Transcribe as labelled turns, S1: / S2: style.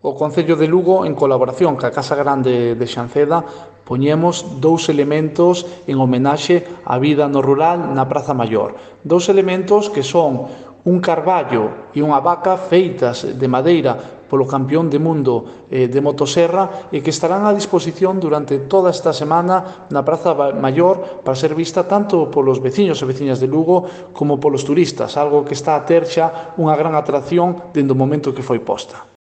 S1: O Concello de Lugo, en colaboración ca Casa Grande de Xanceda, poñemos dous elementos en homenaxe á vida no rural na Praza Maior. Dous elementos que son un carballo e unha vaca feitas de madeira polo campeón de mundo de motoserra e que estarán a disposición durante toda esta semana na Praza Maior para ser vista tanto polos veciños e veciñas de Lugo como polos turistas, algo que está a ter xa unha gran atracción dende o momento que foi posta.